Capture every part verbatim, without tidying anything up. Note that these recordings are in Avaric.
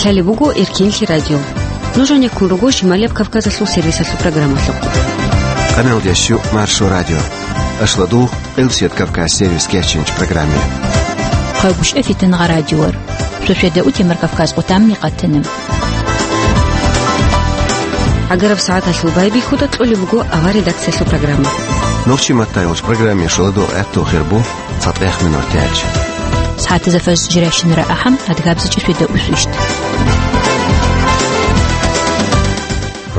Лъалеб буго Эркенлъи радио. Нуж гьанеккун руго Шималияб Кавказалъул сервисалъул программалъухъ. Къаналдящу Маршо радио. Ашладугъ, Къилсият Кавказ сервис кечинч программе. Хъагушев Фитнагъа радиор. Шошеда утемар Кавказ къутамни къатана. Агараб сагӀаталъул байбихьуда кьолеб буго авар редакциялъул программа. Нурчи Маттаевич программе шуладу гӀатту хирбу. ЦатӀех минут тяч. СагӀатазда фажр жирайщинара ахӀам, адгабзичӀеб шуйда усвищ.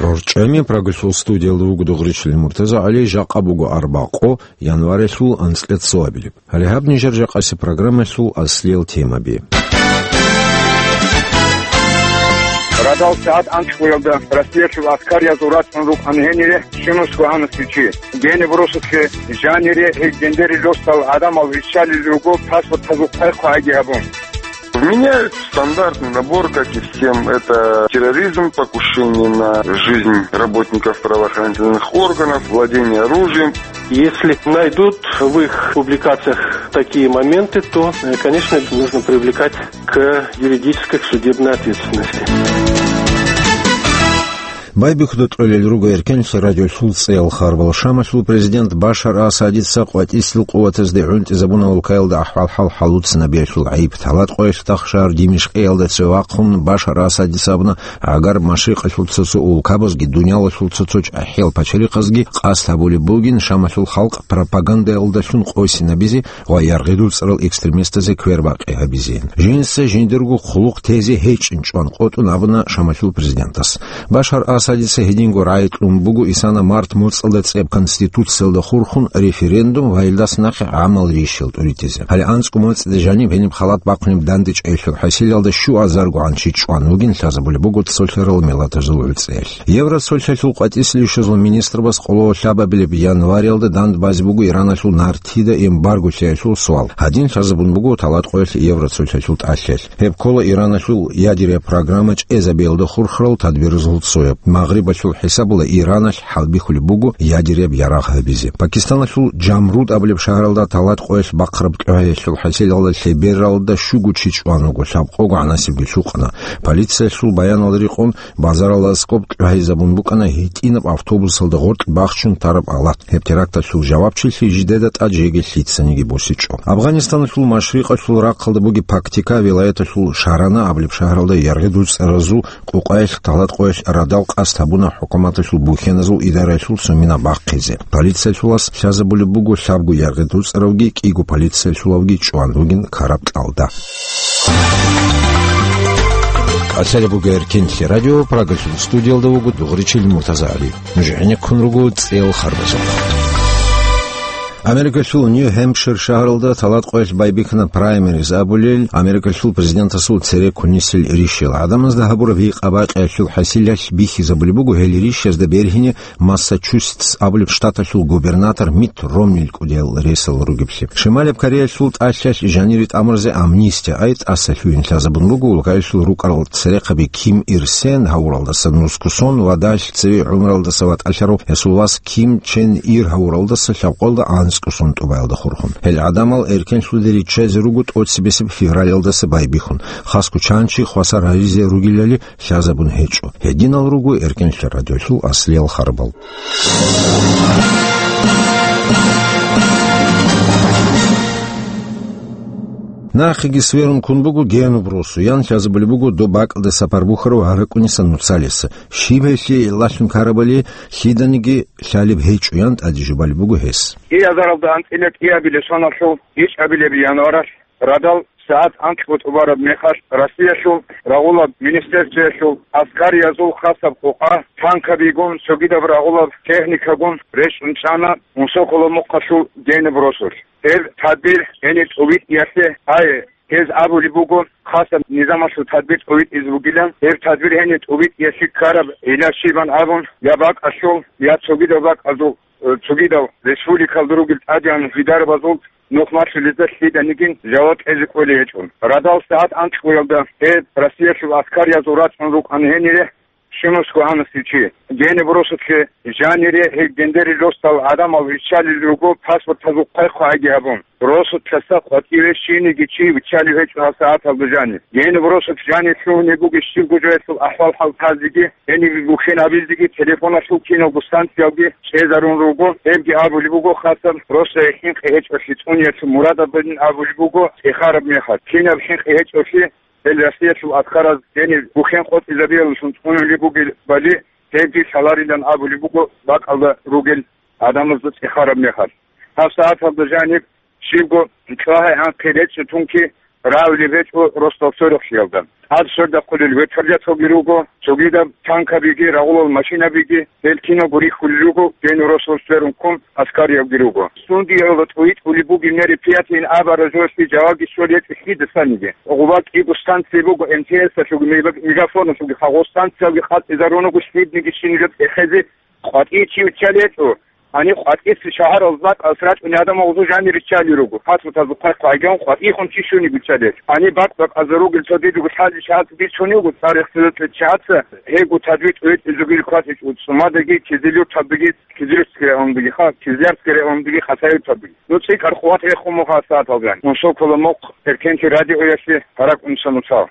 РорчӀами Прагалъул студиялда вуго Дугъричилин Муртаза ГӀали, жакъа буго арбакъо, январалъул анцӀила цоабилеб. Гьале гьаб нижер жакъасеб программалъул аслиял темаби. Радал сагӀат анцӀбуялда Россиялъул аскариязул рачӀун рукӀана гьенире щунусго гьанасев чи. Гьениб росулъе жанире гьел гьендерил росдал гӀадамал виччалел руго паспортазул хъвай-хъвайги гьабун. Вменяют стандартный набор, как и всем. Это терроризм, покушение на жизнь работников правоохранительных органов, владение оружием. Если найдут в их публикациях такие моменты, то, э, конечно, нужно привлекать к юридической, к судебной ответственности. Байбихьуда кьолел руго Эркенлъи радиолъул цӀеял харбал. Шамалъул президент Башар Асадица къватӀислъил къуватазде гӀунтӀизабуна улкаялда ахӀвал-хӀал хӀалуцинабиялъул гӀайиб. Таладкъоялъ тахшар Димишкъиялда цеве вахъун Башар Асадица абуна, гӀагар Машрикъалъул цо-цо улкабазги дуниялалъул цо-цо чӀахӀиял пачалихъазги къасд гьабулеб бугин Шамалъул халкъ пропагандаялдалъун къосинабизе ва яргъи дуцӀарал экстремистазе квербакъи гьабизе. Жинца жиндирго хъулухъ тезе гьечӀин чӀван къотӀун абуна Шамалъул президентас. Башар Асадица гьединго рагӀи кьун буго исана март моцӀалда цӀеб Конституциялда хурхун референдум ва гьелдаса нахъе гӀамал рищал тӀуритизе. Гьале анцӀго моцӀида жаниб гьениб халат бахъунеб дандечӀейилъул хӀасилалда щуазаргогӀан чи чӀван вугин лъазабулеб буго цолъарал миллатазул гӀуцӀел. Евроцолъалъул къватӀислъи ишазул министрбас къоло лъабабилеб январиялда дандбазе буго Ираналъул нартида эмбарго лъеялъул суал. Гьадин лъазабун буго Таладкъоялъ Евроцолъалъул тӀалъиялъ. Гьеб ккола Ираналъул ядерия программа чӀезабиялда хурхарал тадбирзул цояб. Магърибалъул хӀисабула Ираналъ хӀалбихьулеб буго ядерияб ярагъ гьабизе. Пакистаналъул Джамруд абулеб шагьаралда Таладкъоялъ бахъараб кӀугӀаялъул хӀасилалда лъебералда щуго чи чӀван вуго, лъабкъого гӀанасебги лъукъана. Полициялъул баяналда рекъон, базаралда аскӀоб кӀугӀайзабун букӀана гьитӀинаб автобусалда гъоркь бахчун тараб алат. Гьеб теракталъул жавабчилъи жидеда тӀад жеги лъицаниги босичӀо. Афганистаналъул машрикъалъул рахъалда бугеб Пактика вилаяталъул Шарана абулеб шагьаралда яргъи дуцӀаразул къукъаялъ Таладкъоялъ радал къасд гьабуна хӀукуматалъул бухьеназул идараялъул цо мина бахъизе. Полициялъулас лъазабулеб буго лъабго яргъи дуцӀаравги кӀиго полициялъулавги чӀван вугин караб кьалда. Лъалеб буго Эркенлъи радио, Прагалъул студиялда вуго Дугъричил Муртаза ГӀали. Нуж гӀенеккун руго цӀеял харбазухъ. Америкалъул Нью-Хэмпшир шагьаралда Таладкъоялъ байбихьана праймериз абулел, Америкалъул президентасул цере кунисел рищел. ГӀадамазда гьабураб гьикъа-бакъиялъул хӀасилалъ бихьизабулеб буго гьел рищазда бергьине Массачусетс абулеб штаталъул губернатор Митт Ромнил кӀудиял ресал ругеблъи. Шималаб Кореялъул тӀалъиялъ жанире тӀамурзе амнистия ай тӀаса лъугьин лъазабун буго улкаялъул рукӀарал церехъаби Ким Ир Сен гьавуралдаса нускусон ва далъ цеве гӀумралдаса ватӀалъарав гьесул вас Ким Чен Ир гьавуралдаса лъабкъоялда анцӀго сон тӀубаялда хурхун. Гьел гӀадамал эркенлъуде риччазе руго тӀоцебесеб февралалдаса байбихьун. Хасго чан чи хвасар гьаризе ругелали лъазабун гьечӀо. Гьединал руго Эркенлъи радиолъул аслиял харбал. Нахъеги сверун ккун буго Генуб росу, ян лъазабулеб буго доб бакӀалда сапар бухьарав гьаракӀуниса нуцалиса. Щиб гьелъие лъалъун карабали лъиданиги лъалеб гьечӀо, ян тӀаде жубалеб буго гьес. Киазаралда анцӀила кӀиабилеб соналъул ичӀабилеб январалъ радал сагӀат анкьго тӀубараб мехалъ, Россиялъул рагъулаб министерствоялъул аскариязул хасаб къукъа, танкабигун цогидаб рагъулаб техникагун речӀчӀун чӀана Мусокола мухъалъул Генуб росулъ. Гьеб тадбир гьениб тӀувитӀиялъе, гьай, гьез абулеб буго, хасаб низамалъул тадбир тӀувитӀизе бугилан, гьеб тадбир гьениб тӀувитӀиялъе ккараб гӀилла щибан абун, я бакӀалъул, я цогидаб бакӀалдул, э, цогидал республикалда ругел тӀадегӀан гьидарабазул нух малъулезда лъиданиги жаваб кьезе кӀолей гьечӀо. Радал сагӀат анкьгоялда гьеб Россиялъул аскариязул рачӀун рукӀана гьенире Щунусго гьанасев чи. Гьениб росулъе жанире гьел гендерил росдал гӀадамал виччалел руго паспортазул хъвай-хъвайги гьабун. Росулъаса къватӀиве щиниги чи виччалев гьечӀо гьабсагӀаталда жанив. Гьениб росулъ жанив лъугьунеб бугеб щибго жоялъул ахӀвал-хӀал тазеги, гьениб бухьен абилзеги телефоналъул киналго станциялги чӀезарун руго, гьебги абулеб буго, хасаб росдае хӀинкъи гьечӀолъи цӀуниялъул мурадабилин абулеб буго, цӀехараб мехалъ. Кинаб хӀинкъи гьечӀолъи, гьел Россиялъул аскараз гьениб бухьен къотӀизабиялдалъун цӀунулеб бугебали, гьебги лъаларилан абулеб буго бакӀалда ругел гӀадамазда цӀехараб мехалъ. ГьабсагӀаталда жаниб щибго чӀвагьай-гьанхъи речӀчӀи тунки равулеб гьечӀо росдал сверухълъиялда. ТӀад свердахъулел вертолеталги руго, цогидаб танкабиги, рагъулал машинабиги, гьел киналго рихьулел руго, гьенив росулъ сверун ккун аскариябги руго. Сундиялда тӀуитӀулеб бугеб мероприятиейин абараб жоялъе жавабги щолеб гьечӀо лъидасаниги. Гъуба кӀиго станция буго, МТС-алъулги, Мега-, Мегафоналъулги, хагъо станциялги къатӀизарун руго, лъидниги щинаб цӀехезе къватӀие чи виччалел гьечӀо. Гьаниб къватӀиса шагьаралда бакӀалъ рачӀунел гӀадамал гъозул жанир риччалел руго. Паспортазул хъвай-хъвайгун къватӀихун чи щуни виччалел. Гьаниб бакъ-бакъазда ругел цо дидего лъалел чагӀаца бицунел руго, цӀар ихтилат гьечӀев чагӀаца, гьебго тадбикъ гьечӀезегил кватӀичӀо ЦӀумадаги, Кизилюрталдаги, Кизилюртская райондагиха, Кизлярская райондагиха, Хасавюрталдаги. Ну, цӀикӀкӀар къуват рехун муха сагӀаталган. Мун сокола мухъ Эркенти радиоялъе гьаракь унса нуцал.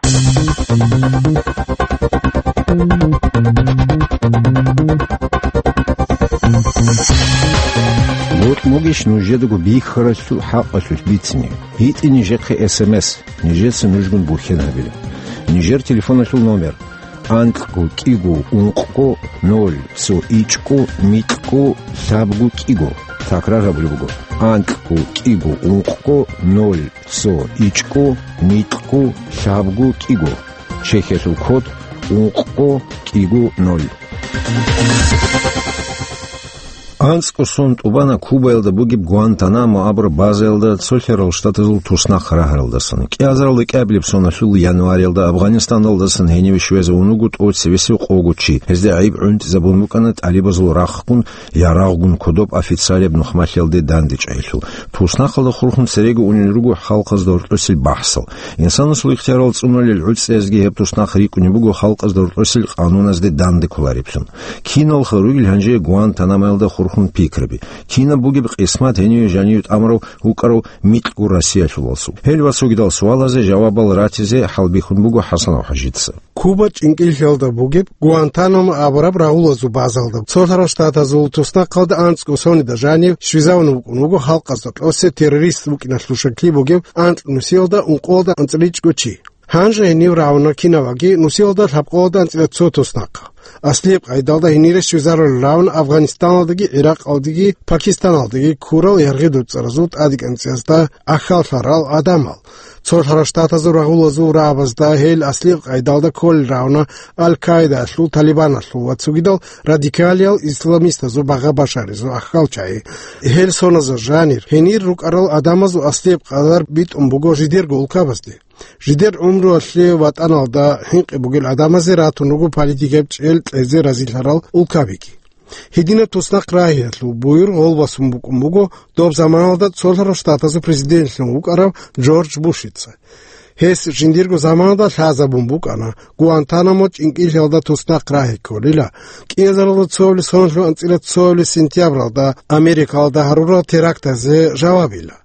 Бокь бугищ нужедаго бихьаралъул хӀакъалъулъ бицине? ГьитӀе нижехъе СМС, нижеца нужгун бухьен гьабила. Нижер телефоналъул номер: анкьго кӀиго ункъго ноль цо ичӀго микьго лъабго кӀиго. Такрар гьабулеб буго: анкьго кӀиго ункъго ноль цо ичӀго микьго лъабго кӀиго. Чехиялъул код ункъго кӀиго ноль. АнцӀго сон тӀубана Кубаялда бугеб Гуантанамо абураб базаялда цолъарал штатазул туснахъ рагьаралдасан. КӀиазаралда кӀиабилеб соналъул январалда Афгъанистандалдасан гьениве щвезавун вуго тӀоцебесеб къого чи. Гьезда гӀайиб гӀунтӀизабун букӀана тӀалибазул рахъгун, ярагъгун кодоб официалияб нухмалъиялде дандечӀайилъул. Туснахъалда хурхун цереги унел руго халкъазда гьоркьосел бахӀсал. Инсанасул ихтиярал цӀунулел гӀуцӀиязги гьеб туснахъ рикӀкӀунеб буго халкъазда гьоркьосел къануназде данде кколареблъун. Киналха ругел гьанже Гуантанамоялда хурхун пикраби? Кинаб бугеб къисмат гьениве жаниве тӀамурав вукӀарав микьго Россиялъулалъул? Гьел ва цогидал суалазе жавабал ратизе хӀалбихьун буго ХӀасанов ХӀажица. Куба чӀинкӀиллъиялда бугеб Гуантанамо абураб рагъулазул базалда цолъарал штатазул туснахъалда анцӀго сонида жанив щвезавун вукӀун вуго халкъазда кьосе террорист вукӀиналъул шакли бугев анкь нусиялда ункъоялда анцӀила ичӀго чи. Гьанже гьенив рагьуна кинаваги нусиялда лъабкъоялда анцӀила цо туснахъ. Аслияб къайдалда гьенире щвезарулел рагьуна Афганистаналдаги, ГӀиракъалдаги, Пакистаналдаги ккурал яргъи-дуцӀаразул тӀадегӀанцӀиязда ахьаллъарал гӀадамал. Цолъаралщтатазул рагъулазул рагӀабазда гьел аслияб къайдалда кколел рагьуна Аль-Каидаялъул, Талибаналъул ва цогидал радикалиял исламистазул багъа башаризул ахьалчагӀи. Гьел соназул жанир гьенир рукӀарал гӀадамазул аслияб къадар битӀун буго жидерго улкабазде. Жидер гӀумруялъе ватӀаналда хӀинкъи бугел гӀадамазе ратун руго политикаб чӀел кьезе разилъарал улкабиги. Гьединаб туснахъ рагьиялъул буюр гъолбасун букӀун буго доб заманалда цолъарал штатазул президентлъун вукӀарав Джордж Бушица. Гьес жиндирго заманалда лъазабун букӀана, Гуантанамо чӀинкӀиллъиялда туснахъ рагьи кколила, кӀиазаралда цоабилеб соналъул анцӀила цоабилеб сентябралда Америкалда гьарурал терактазе жавабила.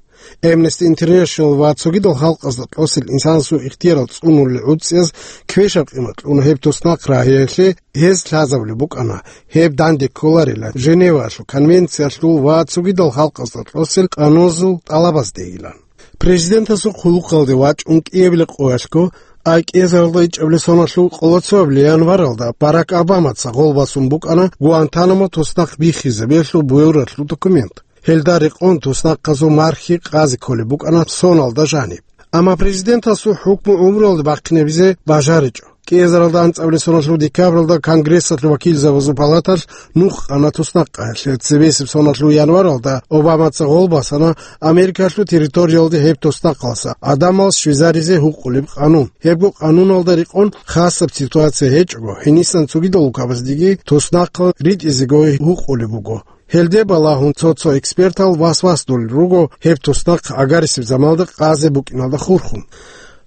Amnesty International ва цогидал халкъазда кьосел инсанасул ихтиярал цӀунулел гӀуцӀияз квешаб къимат кьуна гьеб туснахъ рагьиялъе, гьез лъазабулеб букӀана, гьеб данде кколарила Женеваялъул конвенциялъул ва цогидал халкъазда кьосел къануназул тӀалабаздейилан. Президентасул хъулухъалде вачӀун кӀиабилеб къоялъго, ай кӀиазаралда ичӀабилеб соналъул къоло цоабилеб январалда Барак Обамаца гъолбасун букӀана Гуантанамо туснахъ биххизабиялъул буюралъул документ. Гьелда рекъон туснахъазул мархи къазе кколеб букӀана соналда жаниб. Амма президентасул хӀукму гӀумруялде бахъинабизе бажаричӀо. КӀиазаралда анцӀабилеб соналъул декабралда Конгрессалъул вакилзабазул палаталъ нух къана туснахъалъе. Цебесеб соналъул январалда Обамаца гъол басана Америкалъул территориялде гьеб туснахъалъа гӀадамал щвезаризе гьукъулеб къанун. Гьебго къануналда рекъон хасаб ситуация гьечӀого, гьенисан цогидал улкабаздеги туснахъал ритӀизего гьукъулеб буго. Гьелде балагьун цо-цо экспертал вас-вас долел руго гьеб туснахъ гӀагарисеб заманалда къазе букӀиналда хурхун.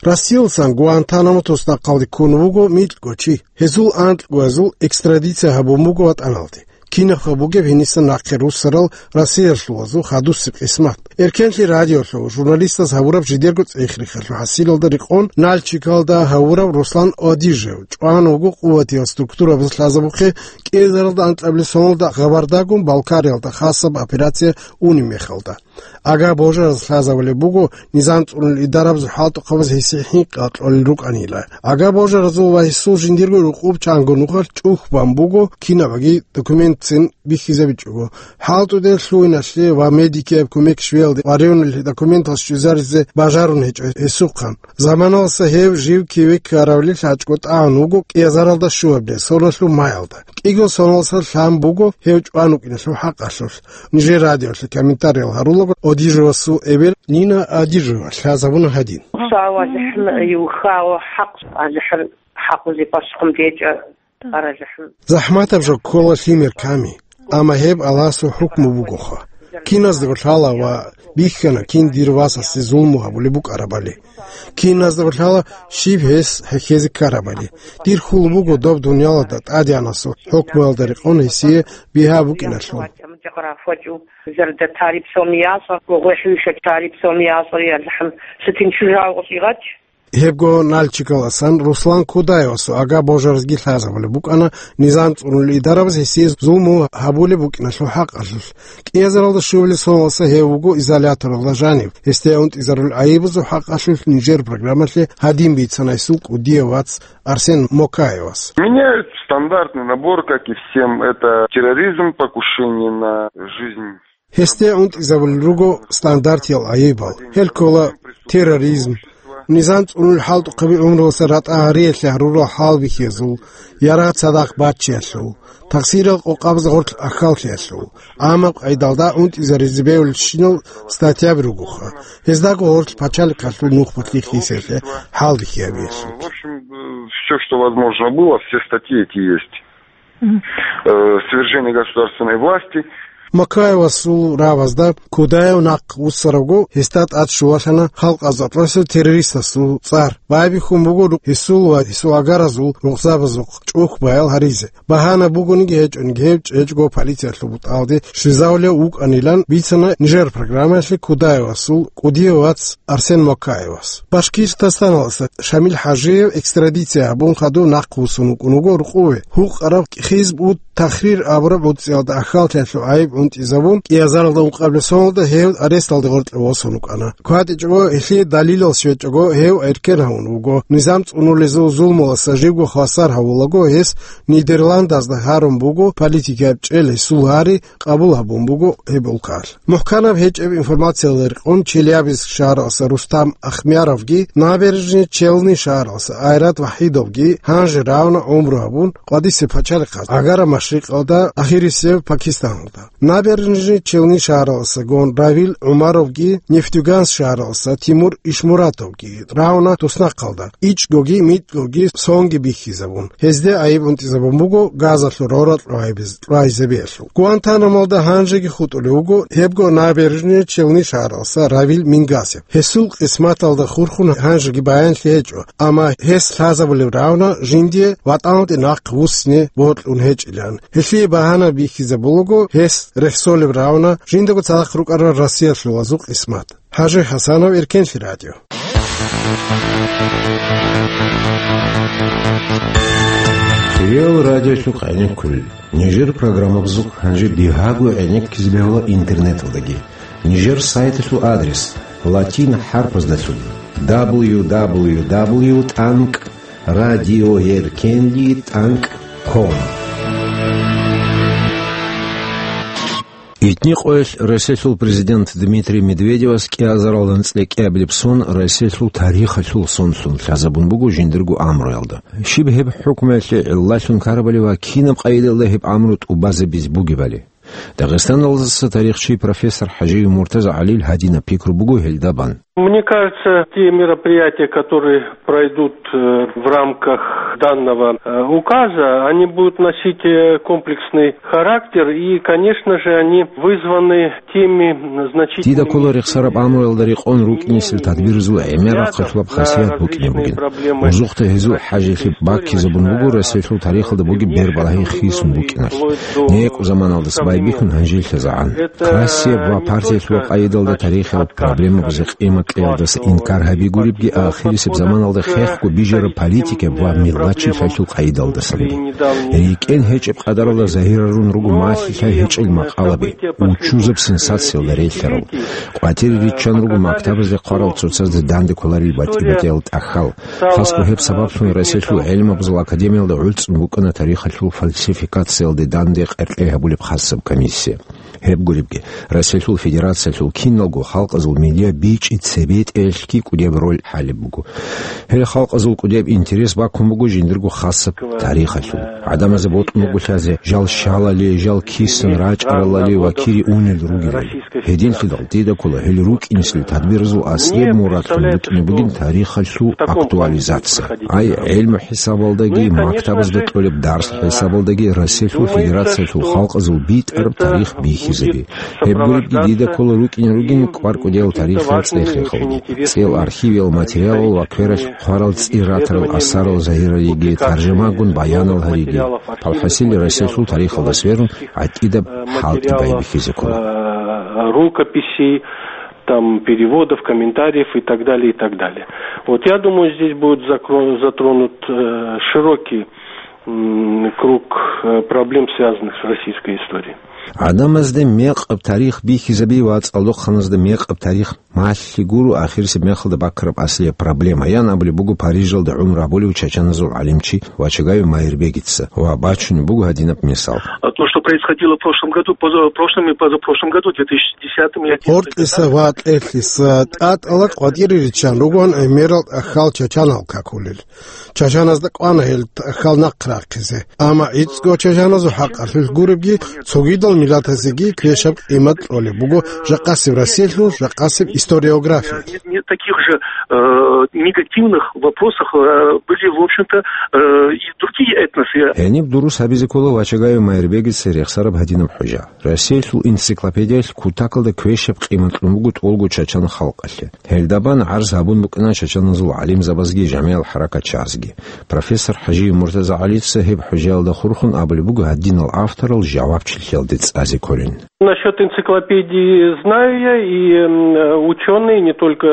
Россиялдасан Гуантанамо туснахъалде ккун вуго микьго чи. Гьезул анкьгоязул экстрадиция гьабун буго ватӀаналде. Кинабха бугеб гьениса нахъе руссарал Россиялъулазул хадусеб къисмат? Эркенлъи радиолъул журналистаз гьавураб жидерго цӀех-рихалъул хӀасилалда рекъон Нальчикалда гьавурав Руслан Одижев чӀван вуго къуватиял структурабаз лъазабухъе кӀиазаралда анкьабилеб соналда Гъабардагун Балкариялда хасаб операция унеб мехалда. Ага божараз лъазабулеб буго низам цӀунулел идарабазул хӀалтӀухъабаз гьесие хӀинкъи кьолел рукӀанила. Ага божаразул ва гьесул жиндирго рукъуб чанго нухалъ чӀухь бан буго кинабаги документцин бихьизабичӀого. ХӀалтӀудел лъугьиналъе ва медикияб кумек щвеялде ва ревналъе документал щвезаризе бажарун гьечӀо гьесухъан. Заманалъа гьев жив киве ккаравлил гьачӀго тӀагӀун вуго кӀиазаралда щуабилеб соналъул маялда. КӀиго соналъа лъан буго гьев чӀван вукӀиналъул хӀакъалъулъ. Нижер радиолъе комментариял гьарулаго Одижевасул эбел Нина Одижева лъазабуна гьадин. Сава захӀм юхао хӀакъ, захӀм хӀакъузе пасхъун дечӀа, ара захӀм. ЗахӀматаб жо ккола лъимер ками, амма гьеб Аллагьасул хӀукму бугоха. Киназдаго лъала ва бихьана кин дир васасе зулму гьабулеб букӀарабали. Киназдаго лъала щиб гьес хӀехьезе ккарабали. Дир хьул буго доб дуниялалда ТӀадегӀанасул хӀукмуялда рекъон гьесие бигьа букӀиналъул. Зарда тариф сом ясар, гогой хӀуша тариф сом ясар, я захӀм сутин чужа гъос игъач. Гьебго Нальчикаласан Руслан Кудаевасул ага божаразги лъазабулеб букӀана низам цӀунулел идарабаз гьесие зулму гьабулеб букӀиналъул хӀакъалъулъ. КӀиазаралда щуабилеб соналъа гьев вуго изоляторалда жанив. Гьесде унтӀизарулел гӀайибазул хӀакъалъулъ нижер программалъе гьадин бицана гьесул кӀудияв вац Арсен Мокаевас. Меняют стандартный набор, как и всем. Это терроризм, покушение на жизнь. Гьесде унтӀизабулел руго стандартиял гӀайибал. Гьел ккола терроризм, низам цӀунулел хӀалтӀухъаби гӀумруялъа ратӀа гьариялъе гьарурал хӀалбихьиязул, ярагъ цадахъ баччиялъул, тахсирал къокъабазда гъорлъ ахьаллъиялъул, гӀамаб къайдалда унтӀизаризе бегьулелщинал статьяби ругоха. Гьездаго гъорлъ пачалихъалъул нухбалъи хисиялъе хӀалбихьиябиялъул. В общем, все, что возможно было, все статьи эти есть. Мгм. Э, свержение государственной власти. Макаевасул рабазда Кудаев нахъ вуссаравго, гьесда тӀад щулалъана халкъ азатлъасул террористасул цӀар. Байбихьун буго ру-, гьесул ва гьесул агаразул рукъзабазухъ чӀухь баял гьаризе. Багьана бугониги гьечӀониги гьев чӀечӀго полициялъул бутӀалде щвезавулев вукӀанилан бицана нижер программаялъе Кудаевасул кӀудияв вац Арсен Макаевас. Башкиртастаналдаса Шамил ХӀажиев экстрадиция гьабун хадув нахъ вуссун вукӀун вуго рукъове. Гьукъараб Хизб ут-Тахрир абураб гӀуцӀиялда ахьаллъиялъул гӀайиб унтӀизабун, кӀиазаралда ункъабилеб соналда гьев аресталде гъоркье восун вукӀана. КватӀичӀого, гьелъие далилал щвечӀого, гьев эркен гьавун вуго. Низам цӀунулезул зулмуласа живго хвасар гьавулаго, гьес Нидерландазда гьарун буго, политикияб чӀел гьесул гьари къабул гьабун буго гьеб улкалъ. МухӀканаб гьечӀеб информациялда рекъон Челябинск шагьаралъа Рустам Ахмяровги, Набережные Челны шагьаралъа Айрат Вахидовги гьанже равна гӀумру гьабун, къвадисе пачалихъаз, Агара Машрикъалда, ахирисев Пакистаналда. Набережные Челны шагьаралъа гон Равил ГӀумаровги, Нефтьюганск шагьаралъа Тимур Ишмуратовги равна туснахъалда, ичӀгоги микьгоги сонги бихьизабун, гьезде гӀайиб унтӀизабун буго газалъул роракь рагӀизе бегьулъ. Гуантанамолда гьанжеги хутӀулев вуго гьебго Набережные Челны шагьаралъа Равил Мингазев. Гьесул къисматалда хурхун гьанжеги баянлъи гьечӀо, амма гьес лъазабулеб равна жиндие ватӀаналде нахъ вуссине бокьун гьечӀилан. Гьелъие багьана бихьизабулаго гьес рехсолеб равна жиндаго цадахъ рукӀарал Россиялъулазул къисмат. ХӀажи ХӀасанов, Эркенлъи радио. Реал радиолъухъ гӀенеккулел. Нижер программабазухъ гьанже бигьаго гӀенеккизе бегьула интернеталдаги. Нижер сайталъул адрес латин хӀарпаздалъун: дабл ю дабл ю дабл ю тӀанкӀ радиоэркенлъи тӀанкӀ ком. Итни къоялъ Россиялъул президент Дмитрий Медведевас кӀиазаралда анцӀила кӀиабилеб сон Россиялъул тарихалъул сонлъун лъазабун буго жиндирго гӀамруялда. Щиб гьеб хӀукмуялъе гӀиллалъун ккарабали ва кинаб къайдалда гьеб гӀамру тӀубазабизе бугебали? Дагъистаналдаса тарихчи, профессор ХӀажиев Муртаза ГӀалил гьадинаб пикру буго гьелда бан. Мне кажется, те мероприятия, которые пройдут э, в рамках данного э, указа, они будут носить э, комплексный характер и, конечно же, они вызваны теми значительными... Дида ккола рехсараб амруялда рекъон рукӀинесел тадбирзул гӀемерал хъалъулаб хасият букӀине бугин. Узухъда гьезул хӀажалъи баккизабун буго Россиялъул тарихалда бугеб бербалагьи хисун букӀиналъ. НекӀу заманалдаса байбихьун гьанжелъазагӀан. Кассияб ва партиялъул къайдалда тарихияб проблемабазе къимат кьеялдаса инкар гьабигуребги, ахирисеб заманалда хехго бижараб политикаб ва миллатчилъиялъул къайдалдасанги. РикӀкӀен гьечӀеб къадаралда загьирарун руго малъи-лъай гьечӀел макъалаби, учузаб сенсациялда релълъарал. Къватире риччан руго мактабазде хъварал цоцазде данде кколарел батӀи-батӀиял тӀахьал. Хасго гьеб сабаблъун Россиялъул гӀелмабазул академиялда гӀуцӀун букӀана тарихалъул фальсификациялде данде къеркьей гьабулеб хасаб комиссия. Гьеб гуребги, Россиялъул Федерациялъул киналго халкъазул медиа бичӀи цебетӀеялъги кӀудияб роль гьалеб буго. Гьел халкъазул кӀудияб интерес баккун буго жиндирго хасаб тарихалъул. ГӀадамазе бокьун буго лъазе жал щалали, жал кисан рачӀаралали ва кири унел ругелали. Гьединлъидал дида ккола гьел рукӀинесел тадбирзул аслияб мурадлъун букӀине бугин тарихалъул актуализация. Ай гӀелму хӀисабалдаги, мактабазда кьолеб дарс хӀисабалдаги Россиялъул Федерациялъул халкъазул битӀараб тарих бихьизаби. Гьеб гуребги дида ккола рукӀине ругин кӀвар-кӀудиял тарихиял цӀех-рехалги, цӀел архивиял материалал ва квералъ хъварал цӀи ратарал асарал загьиралиги, таржамагун баянал гьариги. Алхасил, Россиялъул тарихалда сверун гӀатӀидаб хӀалтӀи байбихьизе ккола. Рукописей, там, переводов, комментариев и так далее, и так далее. Вот я думаю, здесь будет закро-, затронут э, широкий м, круг э, проблем, связанных с российской историей. ГӀадамазда мекъаб тарих бихьизаби ва цӀалдохъаназда мекъаб тарих малъи гуро ахирисеб мехалда баккараб аслияб проблема, ян абулеб буго Парижалда гӀумру гьабулев чачаназул гӀалимчи Вачагаев Майрбегица ва бачунеб буго гьадинаб мисал. А то, что происходило в прошлом году, поза-, прошлом и позапрошлом году, две тысячи десятом и одиннадцатом, Гьоркьиса ва тӀехьлъиса тӀатӀала къватӀире риччан ругоан гӀемерал тӀахьал чачанал какулел. Чачаназда кӀвана гьел тӀахьал нахъ рахъизе. Амма гӀицӀго чачаназул хӀакъалъулъ гуребги, цогидал миллатазеги квешаб къимат кьолеб буго жакъасеб Россиялъул, жакъасеб историографиялъ. Нет, нет таких же э, негативных вопросах э, были, в общем-то, э, и другие этносы. Гьениб дурус гьабизе ккола Вачагаев Майрбегица рехсараб гьадинаб хӀужа. Россиялъул энциклопедиялъ кутакалда квешаб къимат кьун буго тӀолго чачан халкъалъе. Гьелда бан гӀарз гьабун букӀана чачаназул гӀалимзабазги жамигӀал хӀаракатчагӀазги. Профессор ХӀажиев Муртаза ГӀалица гьеб хӀужаялда хурхун абулеб буго гьадинал авторал жавабчилъиялде цӀазе кколин. Насчет энциклопедии знаю я, и м, ученые, не только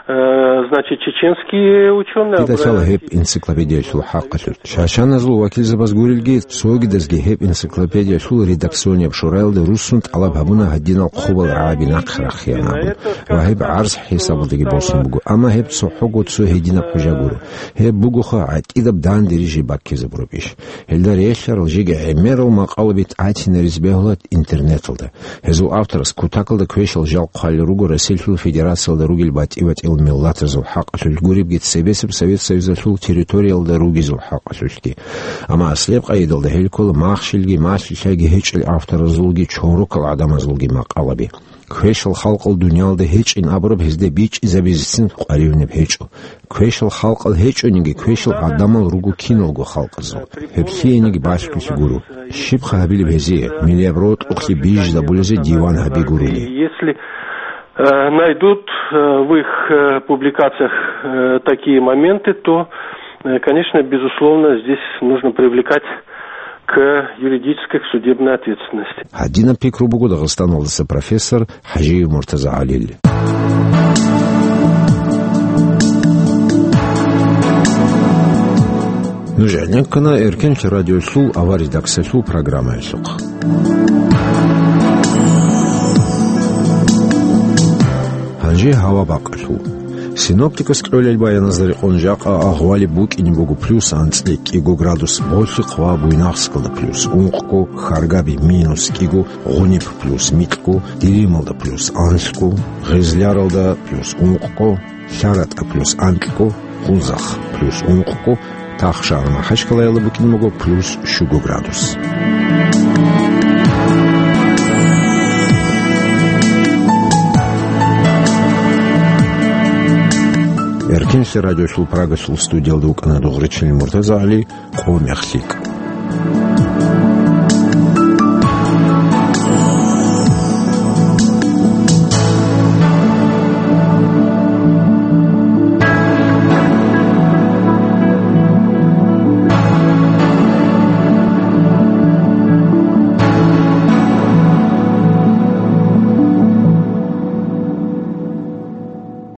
э, значит, чеченские ученые... Дида лъала гьеб энциклопедиялъул хӀакъалъулъ. Чачаназул вакилзабаз гурелги, цогидазги гьеб энциклопедиялъул редакционияб шураялда руссун тӀалаб гьабуна гьадинал хъубал рагӀаби нахъ рахъеян абун ва гьеб гӀарз хӀисабалдаги босун буго, амма гьеб цохӀого цо гьединаб хӀужа гуро. Гьеб бугоха гӀатӀидаб данде рижи баккизабураб иш. Гьелда релълъарал жеги гӀемерал макъалаби тӀатинаризе бегьула интернеталда. Гьезул авторас кутакалда квешал жал хъвалел руго Россиялъул Федерациялда ругел батӀи-батӀиял миллатазул хӀакъалъулъ гуребги цебесеб Совет Союзалъул территориялда ругезул хӀакъалъулъги. Амма аслияб къайдалда гьел ккола махщелги малъи-лъайги гьечӀел авторазулги чорокал гӀадамазулги макъалаби. Квешал халкъал дуниялда гьечӀин абураб гьезда бичӀчӀизабизецин къваригӀунеб гьечӀо. Квешал халкъал гьечӀониги, квешал гӀадамал руго киналго халкъазул. Гьеб лъиениги балъголъи гуро. Щибха гьабилеб гьезие, милияб рокьукълъи бижизабулезе диван гьаби гурони? Если э, найдут э, в их э, публикациях э, такие моменты, то, э, конечно, безусловно, здесь нужно привлекать к юридической, к судебной ответственности. Гьадинаб пикру буго Дагъистаналдаса профессор ХӀажиев Муртаза ГӀалил. Нуж гӀенеккана Эркенлъи радиолъул аваридаксалъул программаялъухъ. Гьанже гьава бакъалъул. Синоптикас кьолел баяназда рекъон жакъа агъвалеб букӀине буго плюс анцӀила кӀиго градус Болъихъ ва Буйнакскалда, плюс ункъго Харгаби, минус кӀиго Гъуниб, плюс микьго Дирималда, плюс анлъго Гъезляралда, плюс ункъго ЛъаратӀа, плюс анкьго Къузахъ, плюс ункъго Тахшагар-МахӀачкъалаялда букӀине буго плюс щуго градус. Эркенлъи радиосул Прагасул студиялда вукӀана Дугъричилин МуртазагӀали. Къо мехлъи.